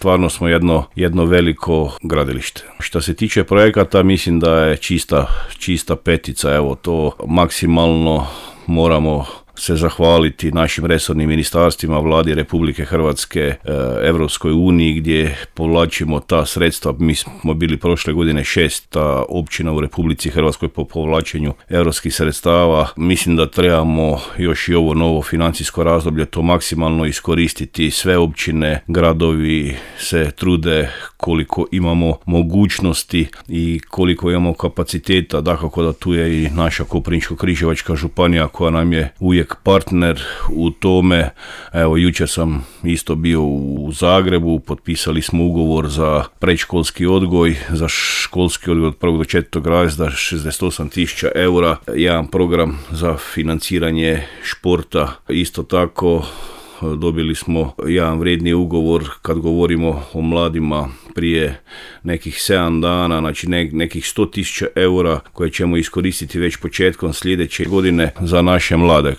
stvarno smo jedno veliko gradilište. Što se tiče projekata, mislim da je čista petica, evo to maksimalno moramo se zahvaliti našim resornim ministarstvima, vladi Republike Hrvatske, Europskoj uniji gdje povlačimo ta sredstva. Mi smo bili prošle godine 6. općina u Republici Hrvatskoj po povlačenju europskih sredstava. Mislim da trebamo još i ovo novo financijsko razdoblje to maksimalno iskoristiti. Sve općine, gradovi se trude koliko imamo mogućnosti i koliko imamo kapaciteta. Dakako da tu je i naša Koprivničko-križevačka županija koja nam je uvijek partner u tome. Evo, jučer sam isto bio u Zagrebu, potpisali smo ugovor za predškolski odgoj, za školski odgoj od 1. do 4. razreda 68.000 eura, jedan program za financiranje športa. Isto tako dobili smo jedan vrijedni ugovor kad govorimo o mladima prije nekih 7 dana, znači nekih 100.000 eura koje ćemo iskoristiti već početkom sljedeće godine za naše mlade.